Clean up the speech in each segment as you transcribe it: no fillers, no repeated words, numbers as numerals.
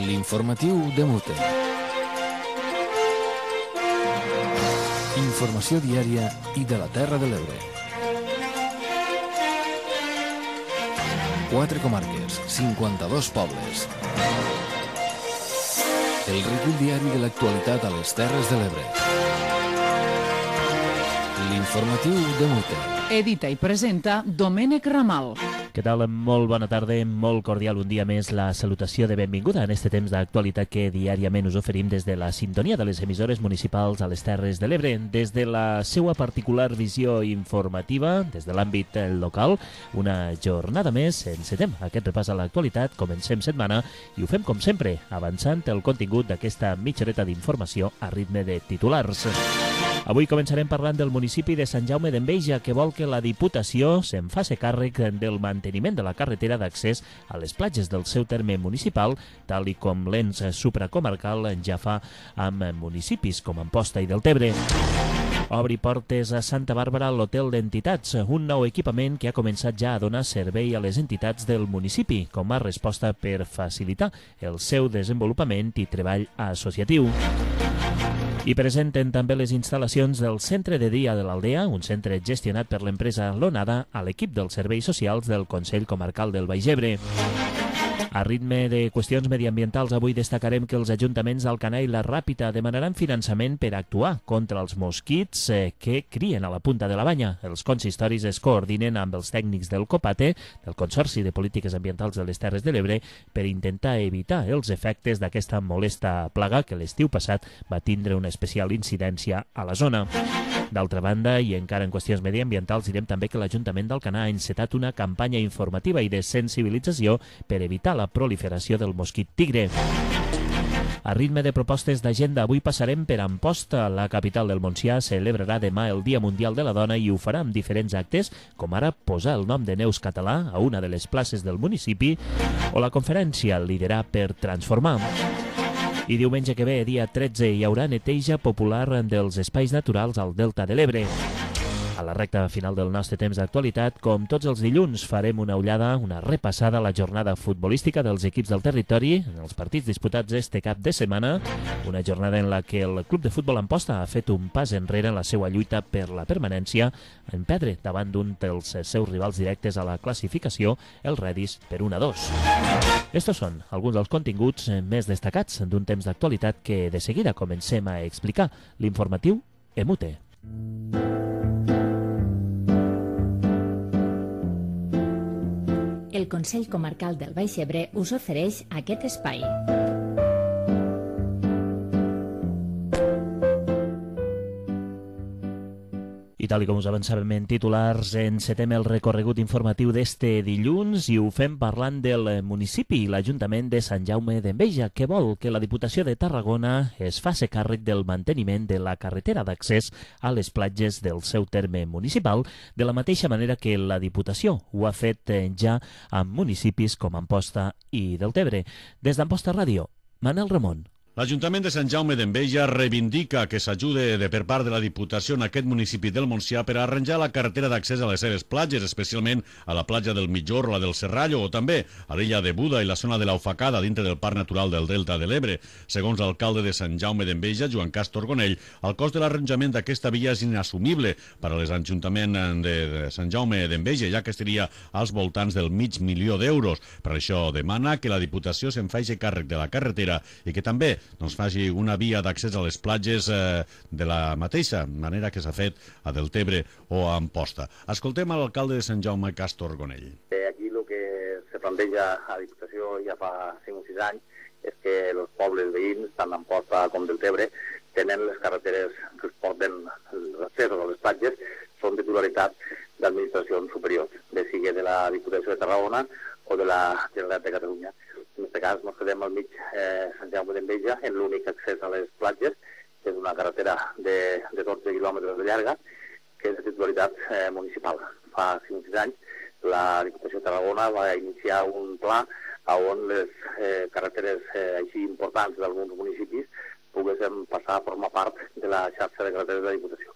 L'informatiu de Mute. Informació diària i de la Terra de l'Ebre. 4 comarques, 52 pobles. El recull diari de l'actualitat a les Terres de l'Ebre. L'informatiu de Mute. Edita i presenta Domènec Ramal. Què tal? Molt bona tarda, molt cordial un dia més la salutació de benvinguda en este temps d'actualitat que diàriament us oferim des de la sintonia de les emissores municipals a les Terres de l'Ebre. Des de la seva particular visió informativa, des de l'àmbit local, una jornada més, encetem aquest repàs a l'actualitat, comencem setmana i ho fem com sempre, avançant el contingut d'aquesta mitja horeta d'informació a ritme de titulars. Avui començarem parlant del municipi de Sant Jaume d'Enveja, que vol que la Diputació se'n faci càrrec del manteniment de la carretera d'accés a les platges del seu terme municipal, tal i com l'ens supracomarcal ja fa amb municipis com Amposta i Deltebre. Obri portes a Santa Bàrbara l'Hotel d'Entitats, un nou equipament que ha començat ja a donar servei a les entitats del municipi, com a resposta per facilitar el seu desenvolupament i treball associatiu. I presenten també les instal·lacions del Centre de Dia de l'Aldea, un centre gestionat per l'empresa Lonada, a l'equip dels serveis socials del Consell Comarcal del Baix Ebre. A ritme de qüestions mediambientals, avui destacarem que els ajuntaments d'Alcanar i la Ràpita demanaran finançament per actuar contra els mosquits que crien a la punta de la Banya. Els consistoris es coordinen amb els tècnics del COPATE, del Consorci de Polítiques Ambientals de les Terres de l'Ebre, per intentar evitar els efectes d'aquesta molesta plaga que l'estiu passat va tindre una especial incidència a la zona. D'altra banda, i encara en qüestions mediambientals, direm també que l'Ajuntament d'Alcanar ha encetat una campanya informativa i de sensibilització per evitar la proliferació del mosquit tigre. A ritme de propostes d'agenda, avui passarem per Amposta. La capital del Montsià celebrarà demà el Dia Mundial de la Dona i ho farà amb diferents actes, com ara posar el nom de Neus Català a una de les places del municipi o la conferència Liderar per Transformar. I diumenge que ve, dia 13, hi haurà neteja popular dels espais naturals al Delta de l'Ebre. A la recta final del nostre temps d'actualitat, com tots els dilluns, farem una ullada, una repassada a la jornada futbolística dels equips del territori en els partits disputats este cap de setmana, una jornada en la que el Club de Futbol Amposta ha fet un pas enrere en la seva lluita per la permanència, en perdre davant d'un dels seus rivals directes a la classificació, el Redis, per 1-2. Estos són alguns dels continguts més destacats d'un temps d'actualitat que de seguida comencem a explicar. L'informatiu Emute. El Consell Comarcal del Baix Ebre us ofereix aquest espai. I tal com us avançàvem en titulars, encetem el recorregut informatiu d'este dilluns i ho fem parlant del municipi i l'Ajuntament de Sant Jaume d'Enveja, que vol que la Diputació de Tarragona es faci càrrec del manteniment de la carretera d'accés a les platges del seu terme municipal, de la mateixa manera que la Diputació ho ha fet ja amb municipis com Amposta i Deltebre. Des d'Amposta Ràdio, Manel Ramon. L'Ajuntament de Sant Jaume d'Enveja reivindica que s'ajude per part de la Diputació en aquest municipi del Montsià per arranjar la carretera d'accés a les seves platges, especialment a la platja del Mitjor, la del Serrallo, o també a l'illa de Buda i la zona de l'Aufacada dintre del Parc Natural del Delta de l'Ebre. Segons l'alcalde de Sant Jaume d'Enveja, Joan Castor Gonell, el cost de l'arranjament d'aquesta via és inassumible per a l'Ajuntament de Sant Jaume d'Enveja, ja que estaria als voltants del $500.000. Per això demana que la Diputació se'n faci càrrec de la carretera i que també faci una via d'accés a les platges de la mateixa manera que s'ha fet a Deltebre o a Amposta. Escoltem a l'alcalde de Sant Jaume, Castor Gonell. Aquí el que se planteja a la Diputació ja fa 5 o 6 anys és que els pobles veïns, tant d'Amposta com Deltebre, tenen les carreteres que es porten els accessos a les platges, són de titularitat d'administracions superiors, bé sigui de la Diputació de Tarragona o de la Generalitat de Catalunya. En aquest cas ens quedem al mig Sant Jaume d'Enveja en l'únic accés a les platges, que és una carretera de 12 quilòmetres de llarga, que és de titularitat municipal. Fa 5 anys la Diputació de Tarragona va iniciar un pla on les carreteres així importants d'alguns municipis poguessin passar a formar part de la xarxa de carreteres de la Diputació.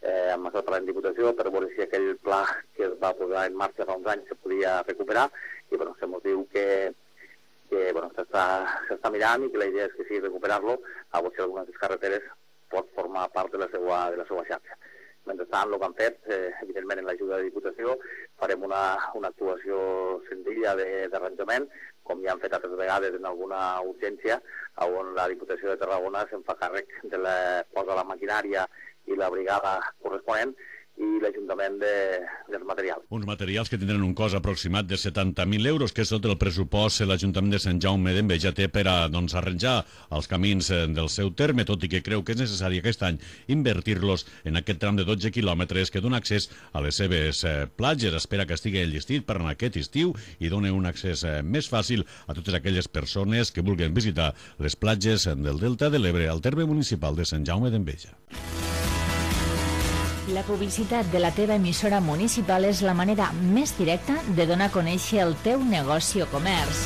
Hem estat parlant de Diputació per veure si aquell pla que es va posar en marxa fa uns anys se podia recuperar i se ens diu que s'està s'està mirant i que la idea és que si recuperar-lo, a veure si alguna de les carreteres pot formar part de la seva xarxa. Mentrestant, el que han fet, evidentment, en l'ajuda de Diputació, farem una actuació senzilla d'arranjament, com ja han fet altres vegades en alguna urgència, on la Diputació de Tarragona se'n fa càrrec de posa la maquinària i la brigada corresponent i l'Ajuntament dels materials. Uns materials que tindran un cost aproximat de 70.000 euros, que és tot el pressupost que l'Ajuntament de Sant Jaume d'Enveja té per a arranjar els camins del seu terme, tot i que creu que és necessari aquest any invertir-los en aquest tram de 12 quilòmetres que dona accés a les seves platges. Espera que estigui enllestit per a aquest estiu i doni un accés més fàcil a totes aquelles persones que vulguin visitar les platges del Delta de l'Ebre al terme municipal de Sant Jaume d'Enveja. La publicitat de la teva emissora municipal és la manera més directa de donar a conèixer el teu negoci o comerç.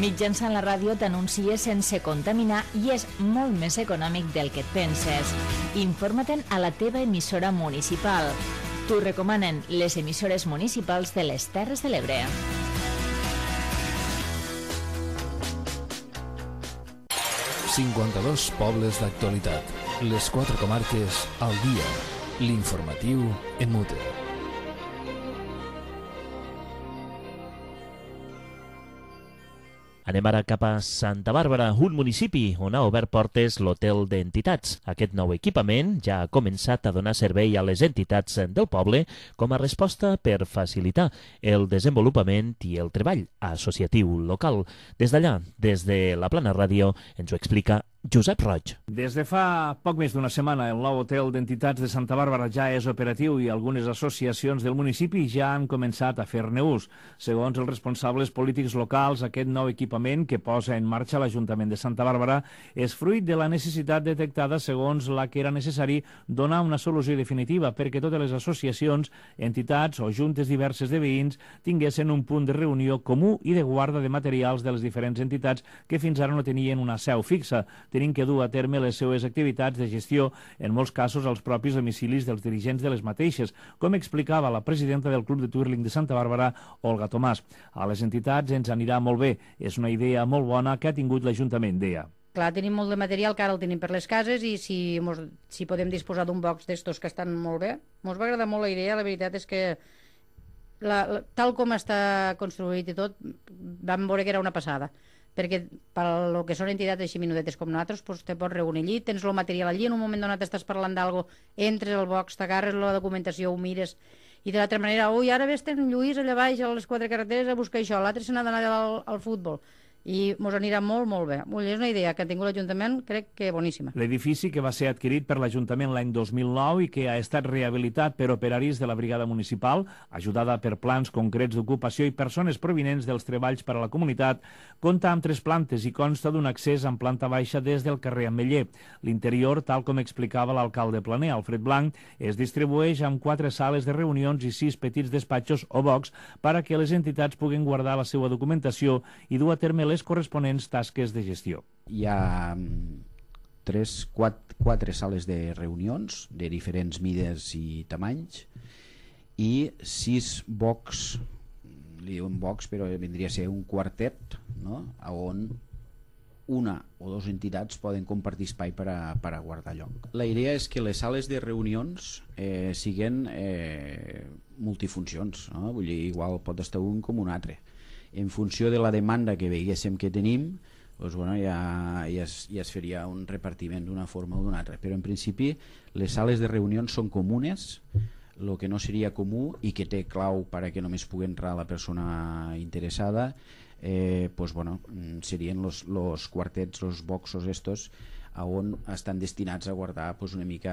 Mitjançant la ràdio t'anuncies sense contaminar i és molt més econòmic del que et penses. Informa-te'n a la teva emissora municipal. T'ho recomanen les emissores municipals de les Terres de l'Ebre. ...52 pobles d'actualitat. Les 4 comarques al dia. L'informatiu en mute. Anem ara cap a Santa Bàrbara, un municipi on ha obert portes l'Hotel d'Entitats. Aquest nou equipament ja ha començat a donar servei a les entitats del poble com a resposta per facilitar el desenvolupament i el treball associatiu local. Des d'allà, des de la Plana Ràdio, ens ho explica Josep Roig. Des de fa poc més d'una setmana, el nou hotel d'entitats de Santa Bàrbara ja és operatiu i algunes associacions del municipi ja han començat a fer-ne ús. Segons els responsables polítics locals, aquest nou equipament que posa en marxa l'Ajuntament de Santa Bàrbara és fruit de la necessitat detectada segons la que era necessari donar una solució definitiva perquè totes les associacions, entitats o juntes diverses de veïns tinguessin un punt de reunió comú i de guarda de materials de les diferents entitats que fins ara no tenien una seu fixa, tenint que dur a terme les seues activitats de gestió, en molts casos als propis domicilis dels dirigents de les mateixes, com explicava la presidenta del Club de Twirling de Santa Bàrbara, Olga Tomàs. A les entitats ens anirà molt bé, és una idea molt bona que ha tingut l'Ajuntament, deia. Clar, tenim molt de material que ara el tenim per les cases i si podem disposar d'un box d'estos que estan molt bé. Ens va agradar molt la idea, la veritat és que tal com està construït i tot, vam veure que era una passada. Perquè per lo que són entitats així minudetes com nosaltres, doncs te pots reunir allí, tens el material allí, en un moment donat estàs parlant d'algo, entres al box, t'agarres la documentació, ho mires, i de l'altra manera, ui, ara ves en Lluís allà baix a les 4 carreteres a buscar això, l'altre se n'ha d'anar al futbol. I ens anirà molt, molt bé. És una idea que ha tingut l'Ajuntament, crec que boníssima. L'edifici que va ser adquirit per l'Ajuntament l'any 2009 i que ha estat rehabilitat per operaris de la Brigada Municipal, ajudada per plans concrets d'ocupació i persones provinents dels treballs per a la comunitat, compta amb 3 plantes i consta d'un accés en planta baixa des del carrer Ametller. L'interior, tal com explicava l'alcalde planer, Alfred Blanc, es distribueix amb 4 sales de reunions i 6 petits despatxos o box per a que les entitats puguen guardar la seva documentació i dur a terme les corresponents tasques de gestió. Hi ha 4 sales de reunions de diferents mides i tamanys i 6 box, li diuen box però vindria a ser un quartet, no? On una o 2 entitats poden compartir espai per a guardar lloc. La idea és que les sales de reunions siguin multifuncions, no? Vull dir, igual pot estar un com un altre. En funció de la demanda que veiéssim que tenim, doncs, bueno, ja es faria un repartiment d'una forma o d'una altra. Però en principi les sales de reunions són comunes, el que no seria comú i que té clau perquè només pugui entrar la persona interessada, doncs, bueno, serien los quartets, los boxos estos, on estan destinats a guardar una mica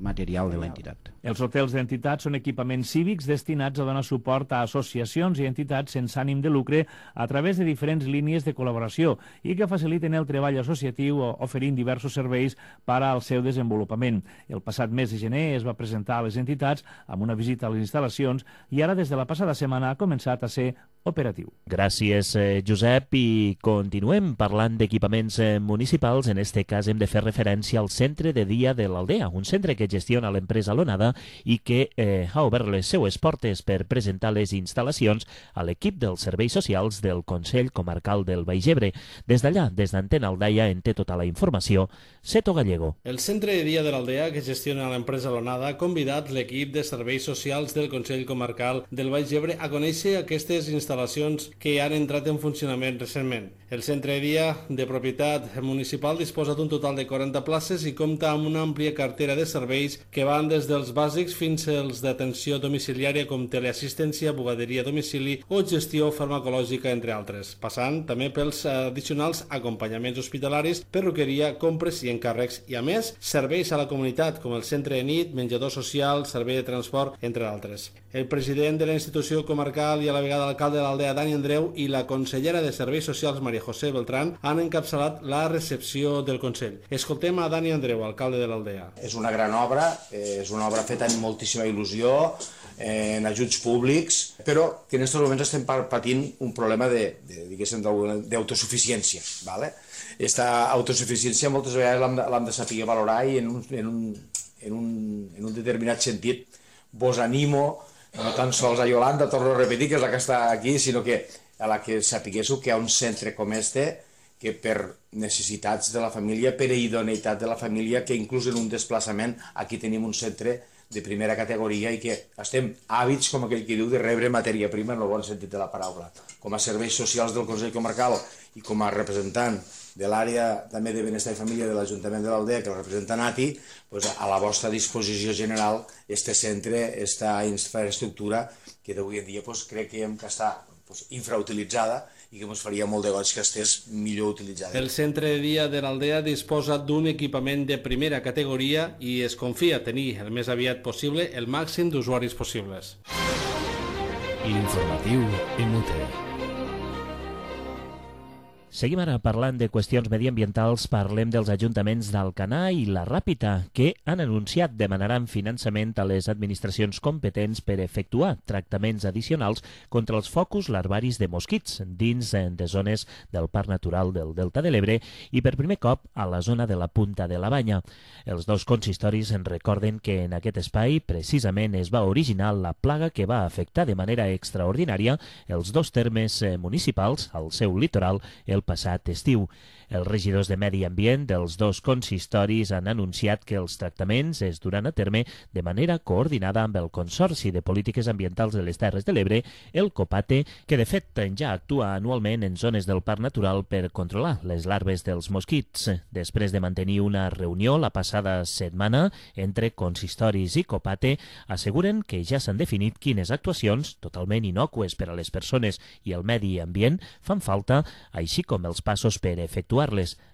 material de l'entitat. Els hotels d'entitats són equipaments cívics destinats a donar suport a associacions i entitats sense ànim de lucre a través de diferents línies de col·laboració i que faciliten el treball associatiu oferint diversos serveis per al seu desenvolupament. El passat mes de gener es va presentar a les entitats amb una visita a les instal·lacions i ara des de la passada setmana ha començat a ser operatiu. Gràcies, Josep, i continuem parlant d'equipaments municipals. En este cas hem de fer referència al Centre de Dia de l'Aldea, un centre que gestiona l'empresa Lonada i que ha obert les seues portes per presentar les instal·lacions a l'equip dels serveis socials del Consell Comarcal del Baix Ebre. Des d'allà, des d'Antena Aldaia, en té tota la informació Seto Gallego. El Centre de Dia de l'Aldea, que gestiona l'empresa Lonada, ha convidat l'equip de serveis socials del Consell Comarcal del Baix Ebre a conèixer aquestes instal·lacions que han entrat en funcionament recentment. El centre de dia de propietat municipal disposa d'un total de 40 places i compta amb una àmplia cartera de serveis que van des dels bàsics fins als d'atenció domiciliària com teleassistència, bugaderia a domicili o gestió farmacològica, entre altres, passant també pels addicionals acompanyaments hospitalaris, perruqueria, compres i encàrrecs i, a més, serveis a la comunitat com el centre de nit, menjador social, servei de transport, entre altres. El president de la institució comarcal i a la vegada l'alcalde de l'Aldea, Dani Andreu, i la consellera de Serveis Socials, Maria José Beltrán, han encapçalat la recepció del Consell. Escoltem a Dani Andreu, alcalde de l'Aldea. És una gran obra, és una obra feta amb moltíssima il·lusió, en ajuts públics, però que en aquests moments estem patint un problema d'autosuficiència. Aquesta autosuficiència moltes vegades l'hem de saber valorar i en un determinat sentit vos animo, no tan sols a Yolanda, torno a repetir, que és la que està aquí, sinó que a la que sapiguéssiu que hi ha un centre com este, que per necessitats de la família, per idoneïtat de la família, que inclús en un desplaçament aquí tenim un centre de primera categoria i que estem hàbits, com aquell que diu, de rebre matèria prima en el bon sentit de la paraula. Com a serveis socials del Consell Comarcal i com a representant de l'àrea també de benestar i família de l'Ajuntament de l'Aldea, que el representa Nati, a la vostra disposició general este centre, esta infraestructura que d'avui en dia crec que està infrautilitzada i que ens faria molt de goig que estés millor utilitzada. El centre de dia de l'Aldea disposa d'un equipament de primera categoria i es confia tenir el més aviat possible el màxim d'usuaris possibles. L'informatiu Emute. Seguim ara parlant de qüestions mediambientals. Parlem dels ajuntaments d'Alcanar i la Ràpita, que han anunciat demanaran finançament a les administracions competents per efectuar tractaments addicionals contra els focus larvaris de mosquits dins de zones del Parc Natural del Delta de l'Ebre i per primer cop a la zona de la Punta de la Banya. Els dos consistoris ens recorden que en aquest espai precisament es va originar la plaga que va afectar de manera extraordinària els dos termes municipals al seu litoral el passat estiu. Els regidors de Medi Ambient dels dos consistoris han anunciat que els tractaments es duran a terme de manera coordinada amb el Consorci de Polítiques Ambientals de les Terres de l'Ebre, el COPATE, que de fet ja actua anualment en zones del Parc Natural per controlar les larves dels mosquits. Després de mantenir una reunió la passada setmana entre consistoris i COPATE, asseguren que ja s'han definit quines actuacions, totalment innocues per a les persones i el medi ambient, fan falta, així com els passos per efectuar-les.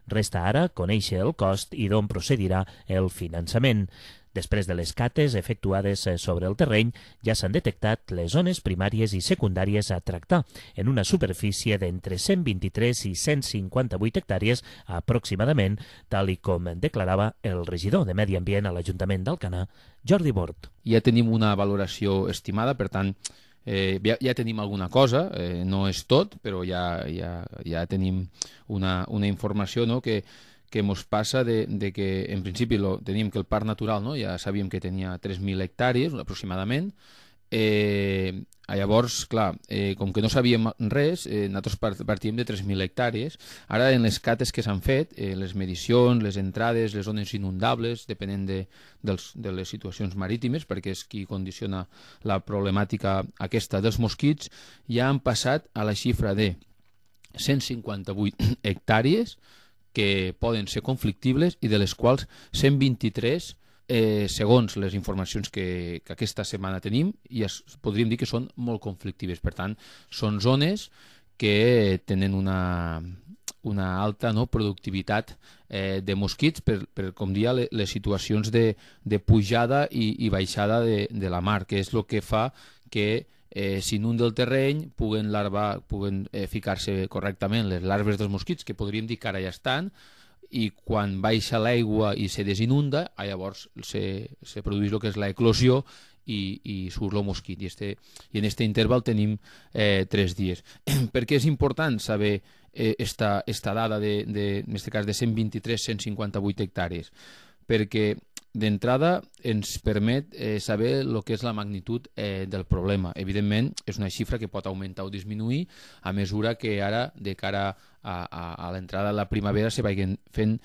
Resta ara conèixer el cost i d'on procedirà el finançament. Després de les cates efectuades sobre el terreny, ja s'han detectat les zones primàries i secundàries a tractar, en una superfície d'entre 123 i 158 hectàrees aproximadament, tal i com declarava el regidor de Medi Ambient a l'Ajuntament d'Alcanar, Jordi Bort. Ja tenim una valoració estimada, per tant, ja tenim alguna cosa, no és tot, però ja tenim una informació, no?, que ens passa de que en principi tenim que el parc natural, no?, ja sabíem que tenia 3.000 hectàrees aproximadament. Llavors, clar, com que no sabíem res, nosaltres partíem de 3.000 hectàrees. Ara, en les cates que s'han fet, les medicions, les entrades, les zones inundables, depenent de les situacions marítimes, perquè és qui condiciona la problemàtica aquesta dels mosquits, ja han passat a la xifra de 158 hectàrees que poden ser conflictibles i de les quals 123 segons les informacions que aquesta setmana tenim, i podríem dir que són molt conflictives. Per tant, són zones que tenen una alta productivitat de mosquits per com dia, les situacions de pujada i baixada de la mar, que és el que fa que s'inunda el terreny, puguen ficar-se correctament les larves dels mosquits, que podríem dir que ara ja estan, i quan baixa l'aigua i se desinunda, llavors se produeix el que és l'eclosió i surt el mosquit. I en aquest interval tenim 3 dies. Per què és important saber esta dada en aquest cas de 123-158 hectàrees? Perquè d'entrada ens permet saber el que és la magnitud del problema. Evidentment, és una xifra que pot augmentar o disminuir a mesura que ara, de cara a l'entrada de la primavera, se vagin fent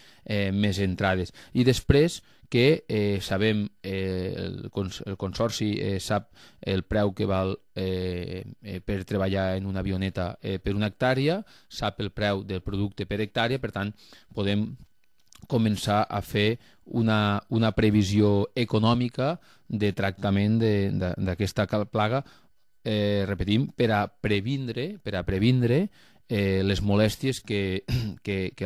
més entrades. I després que sabem, el Consorci sap el preu que val per treballar en una avioneta per una hectàrea, sap el preu del producte per hectàrea, per tant, podem començar a fer una previsió econòmica de tractament d'aquesta plaga, repetim, per a previndre les molèsties que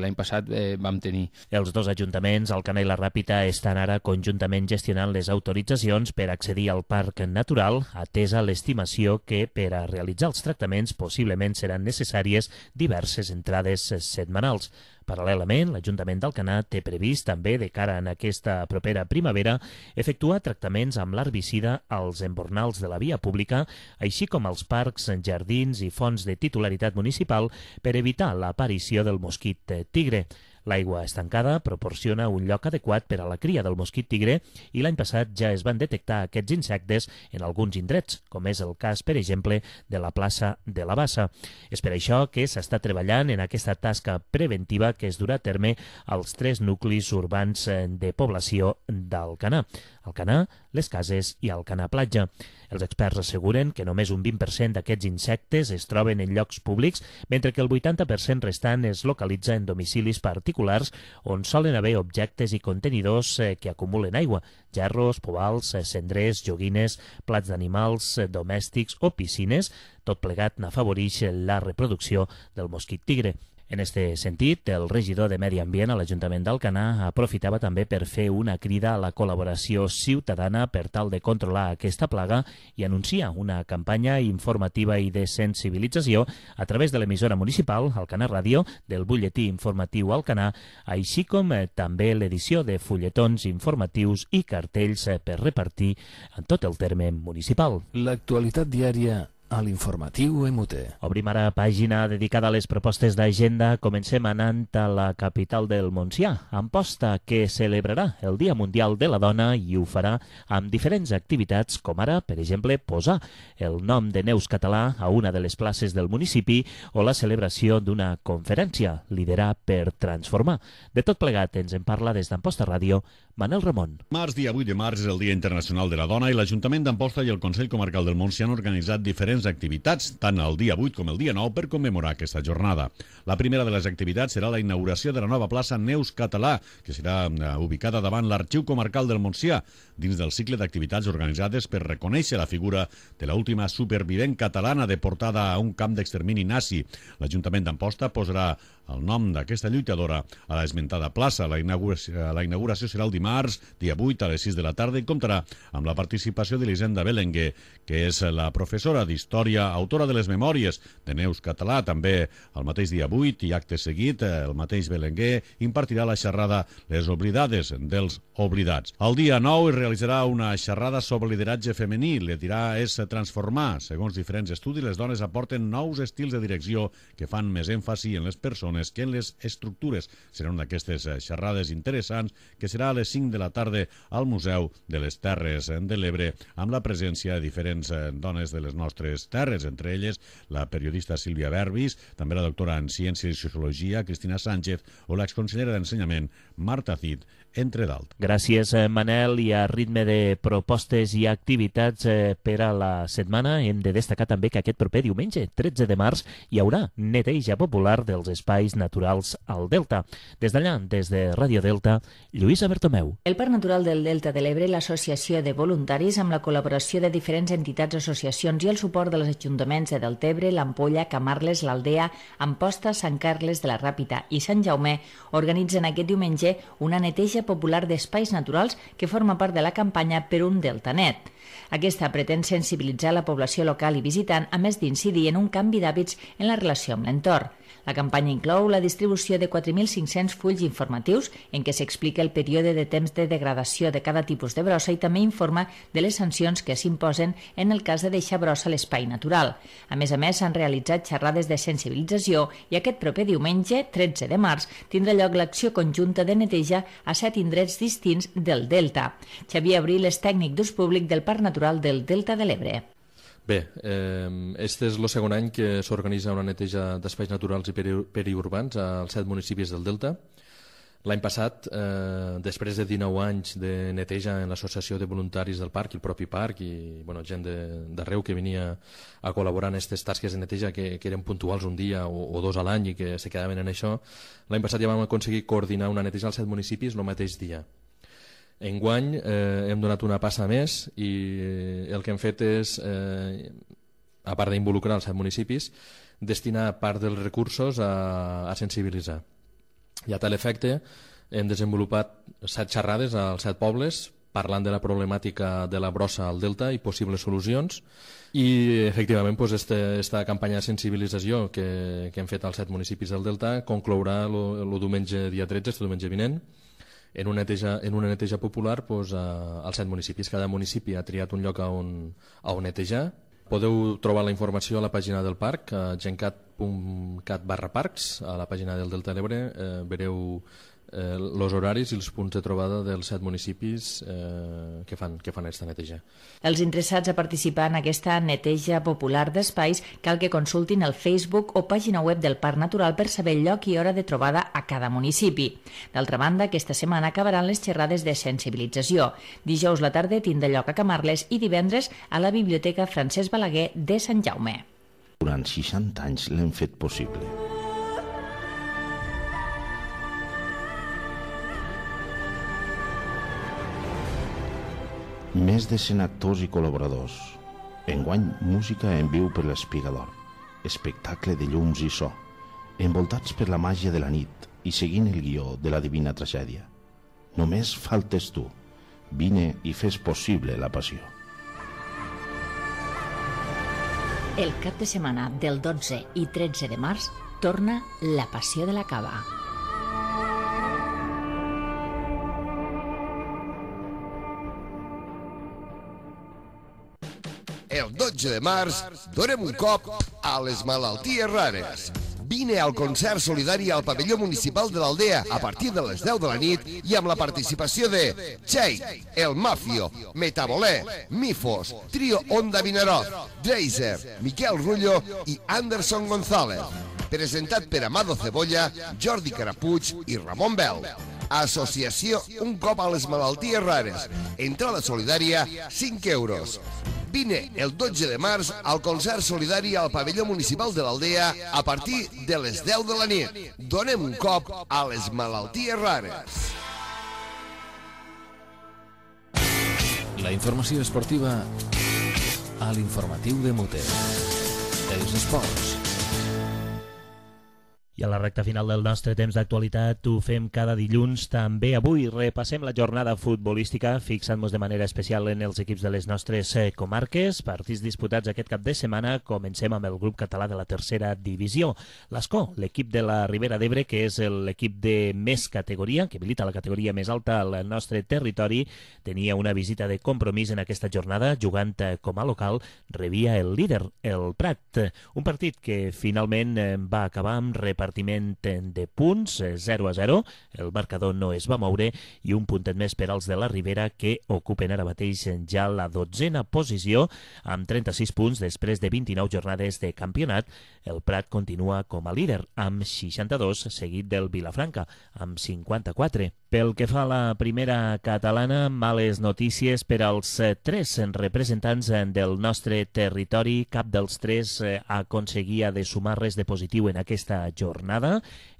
l'any passat vam tenir. Els dos ajuntaments, Alcanar i la Ràpita, estan ara conjuntament gestionant les autoritzacions per accedir al parc natural, atesa l'estimació que per a realitzar els tractaments possiblement seran necessàries diverses entrades setmanals. Paral·lelament, l'Ajuntament d'Alcanar té previst també, de cara a aquesta propera primavera, efectuar tractaments amb l'herbicida als embornals de la via pública, així com als parcs, jardins i fonts de titularitat municipal per evitar l'aparició del mosquit tigre. L'aigua estancada proporciona un lloc adequat per a la cria del mosquit tigre i l'any passat ja es van detectar aquests insectes en alguns indrets, com és el cas, per exemple, de la plaça de la Bassa. És per això que s'està treballant en aquesta tasca preventiva que es durà a terme als 3 nuclis urbans de població d'Alcanar: Alcanar, Les Cases i Alcanar Platja. Els experts asseguren que només un 20% d'aquests insectes es troben en llocs públics, mentre que el 80% restant es localitza en domicilis particulars on solen haver objectes i contenidors que acumulen aigua: gerros, pobals, cendrers, joguines, plats d'animals domèstics o piscines. Tot plegat n'afavoreix la reproducció del mosquit tigre. En este sentit, el regidor de Medi Ambient a l'Ajuntament d'Alcanar aprofitava també per fer una crida a la col·laboració ciutadana per tal de controlar aquesta plaga i anuncia una campanya informativa i de sensibilització a través de l'emissora municipal, Alcanar Ràdio, del butlletí informatiu Alcanar, així com també l'edició de fulletons informatius i cartells per repartir en tot el terme municipal. L'actualitat diària a l'informatiu MUT. Obrim ara pàgina dedicada a les propostes d'agenda. Comencem anant a la capital del Montsià, Amposta, que celebrarà el Dia Mundial de la Dona i ho farà amb diferents activitats, com ara, per exemple, posar el nom de Neus Català a una de les places del municipi o la celebració d'una conferència, Liderar per Transformar. De tot plegat ens en parla des d'Amposta Ràdio Manel Ramon. Març, dia 8 de març, és el Dia Internacional de la Dona i l'Ajuntament d'Amposta i el Consell Comarcal del Montsià han organitzat diferents activitats, tant el dia 8 com el dia 9, per commemorar aquesta jornada. La primera de les activitats serà la inauguració de la nova plaça Neus Català, que serà ubicada davant l'Arxiu Comarcal del Montsià, dins del cicle d'activitats organitzades per reconèixer la figura de l'última supervivent catalana deportada a un camp d'extermini nazi. L'Ajuntament d'Amposta posarà el nom d'aquesta lluitadora a l'esmentada plaça. La inauguració serà el dimarts, dia 8, a les 6 de la tarda, i comptarà amb la participació d'Elisenda Belenguer, que és la professora d'Història, autora de les memòries de Neus Català. També el mateix dia 8 i acte seguit, el mateix Belenguer impartirà la xerrada Les oblidades dels oblidats. El dia 9 es realitzarà una xerrada sobre lideratge femení. Liderar és transformar. Segons diferents estudis, les dones aporten nous estils de direcció que fan més èmfasi en les persones que en les estructures. Serà una d'aquestes xerrades interessants que serà a les 5 de la tarda al Museu de les Terres de l'Ebre, amb la presència de diferents dones de les nostres terres, entre elles la periodista Sílvia Berbis, també la doctora en Ciència i Sociologia Cristina Sánchez o l'exconsellera d'Ensenyament Marta Cid, entre d'altres. Gràcies, Manel. I a ritme de propostes i activitats per a la setmana, hem de destacar també que aquest proper diumenge, 13 de març, hi haurà neteja popular dels espais naturals al Delta. Des d'allà, des de Ràdio Delta, Lluïsa Bertomeu. El Parc Natural del Delta de l'Ebre, l'Associació de Voluntaris, amb la col·laboració de diferents entitats, associacions i el suport dels ajuntaments de Deltebre, l'Ampolla, Camarles, l'Aldea, Amposta, Sant Carles de la Ràpita i Sant Jaume, organitzen aquest diumenge una neteja popular d'espais naturals que forma part de la campanya Per un Delta Net. Aquesta pretén sensibilitzar la població local i visitant, a més d'incidir en un canvi d'hàbits en la relació amb l'entorn. La campanya inclou la distribució de 4.500 fulls informatius en què s'explica el període de temps de degradació de cada tipus de brossa i també informa de les sancions que s'imposen en el cas de deixar brossa a l'espai natural. A més, s'han realitzat xerrades de sensibilització i aquest proper diumenge, 13 de març, tindrà lloc l'acció conjunta de neteja a 7 indrets distints del Delta. Xavier Abril és tècnic d'ús públic del Parc Natural del Delta de l'Ebre. Bé, este és el segon any que s'organitza una neteja d'espais naturals i periurbans als 7 municipis del Delta. L'any passat, després de 19 anys de neteja en l'associació de voluntaris del parc i el propi parc i gent d'arreu que venia a col·laborar en aquestes tasques de neteja que eren puntuals un dia o dos a l'any i que se quedaven en això, l'any passat ja vam aconseguir coordinar una neteja als 7 municipis el mateix dia. Enguany hem donat una passa més i el que hem fet és, a part d'involucrar els 7 municipis, destinar part dels recursos a sensibilitzar. I a tal efecte hem desenvolupat 7 xerrades als 7 pobles parlant de la problemàtica de la brossa al Delta i possibles solucions i efectivament aquesta campanya de sensibilització que hem fet als 7 municipis del Delta conclourà el diumenge dia 13, este diumenge vinent, en una neteja popular als 7 municipis. Cada municipi ha triat un lloc on netejar. Podeu trobar la informació a la pàgina del parc, a gencat.cat/parcs, a la pàgina del Delta de l'Ebre. Veureu els horaris i els punts de trobada dels 7 municipis que fan aquesta neteja. Els interessats a participar en aquesta neteja popular d'espais cal que consultin el Facebook o pàgina web del Parc Natural per saber el lloc i hora de trobada a cada municipi. D'altra banda, aquesta setmana acabaran les xerrades de sensibilització. Dijous la tarda tindrà lloc a Camarles i divendres a la Biblioteca Francesc Balaguer de Sant Jaume. Durant 60 anys l'hem fet possible. Més de 100 actors i col·laboradors. Enguany, música en viu per l'Espigador. Espectacle de llums i so, envoltats per la màgia de la nit i seguint el guió de la Divina Tragèdia. Només faltes tu. Vine i fes possible la passió. El cap de setmana del 12 i 13 de març torna la Passió de la Cava. El 12 de març donem un cop a les malalties rares. Vine al concert solidari al pavelló municipal de l'Aldea a partir de les 10 de la nit i amb la participació de Txell, El Mafio, Metabolé, Mifos, Trio Onda Vinaroz, Dreiser, Miquel Rullo i Anderson González. Presentat per Amado Cebolla, Jordi Carapuig i Ramon Bel. Associació Un cop a les malalties rares. Entrada solidària, 5 euros. Vine el 12 de març al concert solidari al pavelló municipal de l'Aldea a partir de les 10 de la nit. Donem un cop a les malalties rares. La informació esportiva a l'informatiu de Muter. Els esports. I a la recta final del nostre temps d'actualitat ho fem cada dilluns. També avui repassem la jornada futbolística, fixant-nos de manera especial en els equips de les nostres comarques. Partits disputats aquest cap de setmana. Comencem amb el grup català de la tercera divisió. L'Escó, l'equip de la Ribera d'Ebre, que és l'equip de més categoria, que milita la categoria més alta al nostre territori, tenia una visita de compromís en aquesta jornada, jugant com a local, rebia el líder, el Prat. Un partit que finalment va acabar amb repartiment de punts, 0-0, el marcador no es va moure i un puntet més per als de la Ribera que ocupen ara mateix ja la 12a posició amb 36 punts després de 29 jornades de campionat. El Prat continua com a líder amb 62, seguit del Vilafranca amb 54. Pel que fa a la primera catalana, males notícies per als 3 representants del nostre territori. Cap dels 3 aconseguia de sumar res de positiu en aquesta jornada.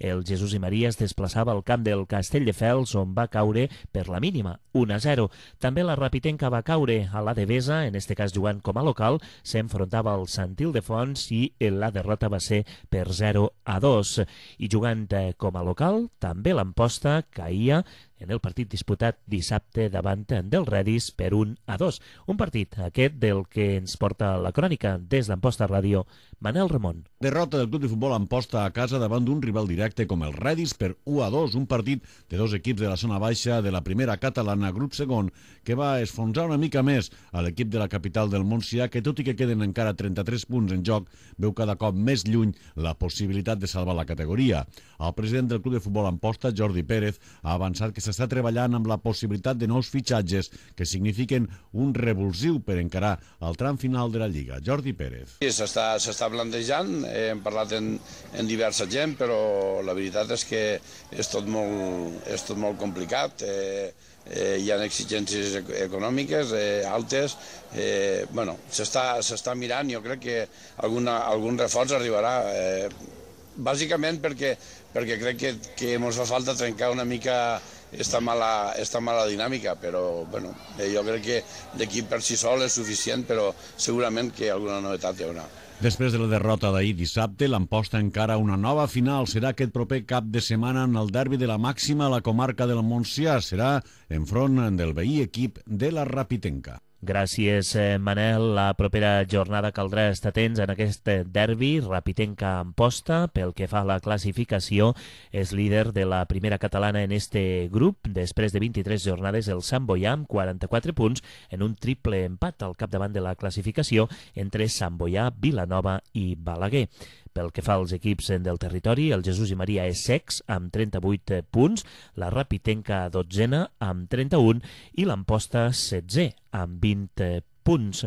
El Jesús i Maria es desplaçava al camp del Castelldefels, on va caure per la mínima, 1-0. També la Rapitenca va caure a la Devesa, en este cas jugant com a local, s'enfrontava al Sant Ildefons i la derrota va ser per 0-2. I jugant com a local, també l'Amposta caïa en el partit disputat dissabte davant del Redis per 1-2. Un partit, aquest, del que ens porta la crònica des d'Amposta Ràdio, Manel Ramon. Derrota del Club de Futbol Amposta a casa davant d'un rival directe com el Redis per 1-2, un partit de dos equips de la zona baixa de la primera catalana, grup segon, que va esfonsar una mica més a l'equip de la capital del Montsià, que tot i que queden encara 33 punts en joc, veu cada cop més lluny la possibilitat de salvar la categoria. El president del Club de Futbol Amposta, Jordi Pérez, ha avançat que s'està treballant amb la possibilitat de nous fitxatges que signifiquen un revulsiu per encarar el tram final de la Lliga. Jordi Pérez. Sí, s'està plantejant, hem parlat en diversa gent, però la veritat és que és tot molt complicat. Hi ha exigències econòmiques altes. S'està mirant, jo crec que algun reforç arribarà. Bàsicament perquè crec que ens fa falta trencar una mica esta mala dinàmica, però jo crec que l'equip per si sol és suficient, però segurament que alguna novetat hi haurà. Després de la derrota d'ahir dissabte, l'Amposta encara una nova final. Serà aquest proper cap de setmana en el derbi de la màxima a la comarca del Montsià. Serà enfront del veí equip de la Rapitenca. Gràcies, Manel. La propera jornada caldrà estar atents en aquest derbi. Rapitenca Amposta, pel que fa a la classificació, és líder de la primera catalana en este grup. Després de 23 jornades, el Sant Boià amb 44 punts en un triple empat al capdavant de la classificació entre Sant Boià, Vilanova i Balaguer. Pel que fa als equips del territori, el Jesús i Maria és sex amb 38 punts, la Rapitenca 12a amb 31 i l'Amposta 16è amb 20 punts.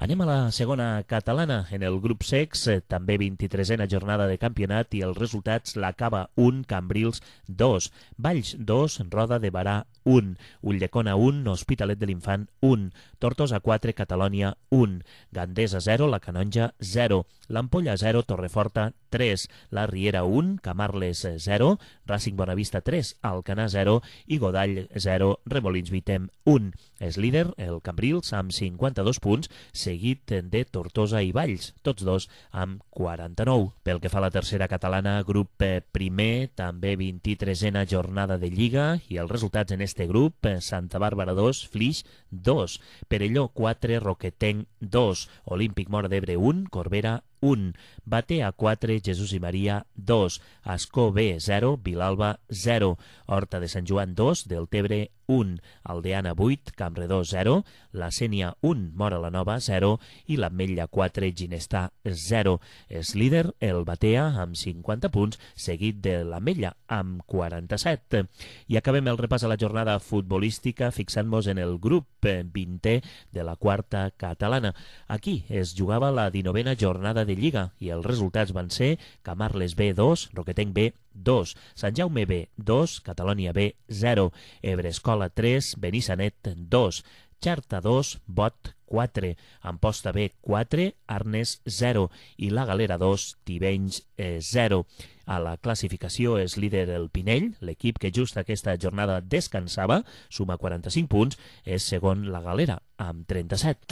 Anem a la segona catalana. En el grup sex, també 23a jornada de campionat i els resultats: l'Acaba 1, Cambrils 2, Valls 2, Roda de Barà 1, Ulldecona 1, Hospitalet de l'Infant 1, Tortosa 4, Catalònia 1, Gandesa 0, La Canonja 0, l'Ampolla 0, Torreforta 3, la Riera 1, Camarles 0, Racing Bonavista 3, Alcanar 0 i Godall 0, Remolins Vitem 1. És líder el Cambrils amb 52 punts, seguit de Tortosa i Valls, tots dos amb 49. Pel que fa a la tercera catalana, grup primer, també 23a jornada de Lliga, i els resultats en este grup: Santa Bàrbara 2, Flix 2, Perelló 4, Roquetenc 2, Olímpic Móra d'Ebre 1, Corbera 1, Batea 4, Jesús i Maria 2, Ascó B 0, Vilalba 0, Horta de Sant Joan 2, Deltebre 1, Aldeana 8, Campredó 0, la Sénia 1, Móra la Nova 0 i l'Ametlla 4, Ginestà 0. És líder el Batea amb 50 punts, seguit de l'Ametlla amb 47. I acabem el repàs a la jornada futbolística fixant-nos en el grup 20è de la quarta catalana. Aquí es jugava la 19a jornada de Lliga i els resultats van ser Camarles B 2, Roquetenc B 2, Sant Jaume B 2, Catalònia B 0, Ebrescola 3, Benissanet 2, Xarta 2, Bot 4, Amposta B 4, Arnes 0 i la Galera 2, Tivenys 0. A la classificació és líder el Pinell, l'equip que just aquesta jornada descansava, suma 45 punts, és segon la Galera, amb 37.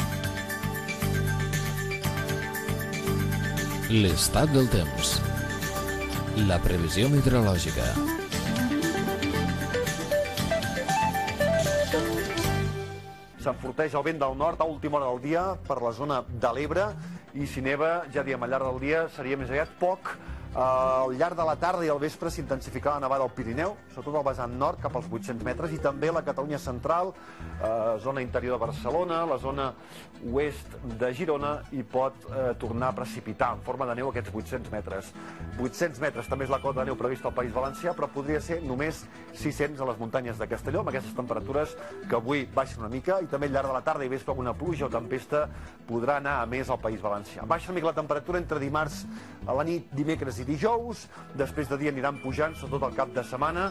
L'estat del temps. La previsió meteorològica. S'enforteix el vent del nord a última hora del dia per la zona de l'Ebre i si neva, ja diem, al llarg del dia seria més aviat poc. Al llarg de la tarda i al vespre s'intensificarà la nevada al Pirineu, sobretot al vessant nord cap als 800 metres, i també la Catalunya central, zona interior de Barcelona, la zona oest de Girona, i pot tornar a precipitar en forma de neu aquests 800 metres. 800 metres també és la cota de neu prevista al País Valencià, però podria ser només 600 a les muntanyes de Castelló, amb aquestes temperatures que avui baixen una mica, i també al llarg de la tarda i vespre alguna pluja o tempesta podrà anar a més al País Valencià. Baixa una mica la temperatura entre dimarts a la nit, dimecres i dijous, després de dia aniran pujant, sobretot al cap de setmana,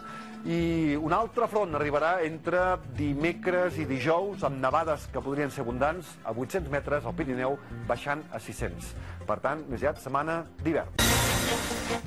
i un altre front arribarà entre dimecres i dijous, amb nevades que podrien ser abundants, a 800 metres al Pirineu, baixant a 600. Per tant, més aviat setmana d'hivern.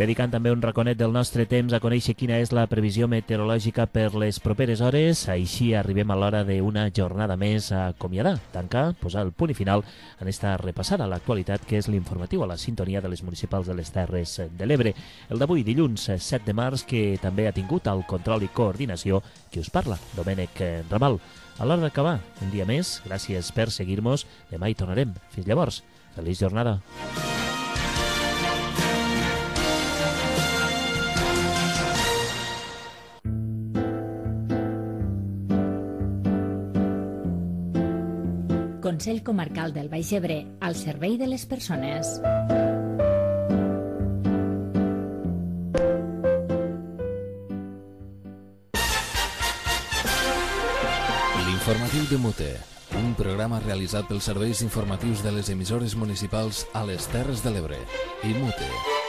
Dedicant també un raconet del nostre temps a conèixer quina és la previsió meteorològica per les properes hores. Així arribem a l'hora d'una jornada més a acomiadar, tancar, posar el punt i final en esta repassada a l'actualitat que és l'informatiu a la sintonia de les municipals de les Terres de l'Ebre. El d'avui, dilluns 7 de març, que també ha tingut el control i coordinació qui us parla, Domènec Ramal. A l'hora d'acabar, un dia més, gràcies per seguir-nos. Demà hi tornarem. Fins llavors, feliç jornada. Consell Comarcal del Baix Ebre, al servei de les persones. L'informatiu de Mute, un programa realitzat pels serveis informatius de les emissores municipals a les Terres de l'Ebre i Mute.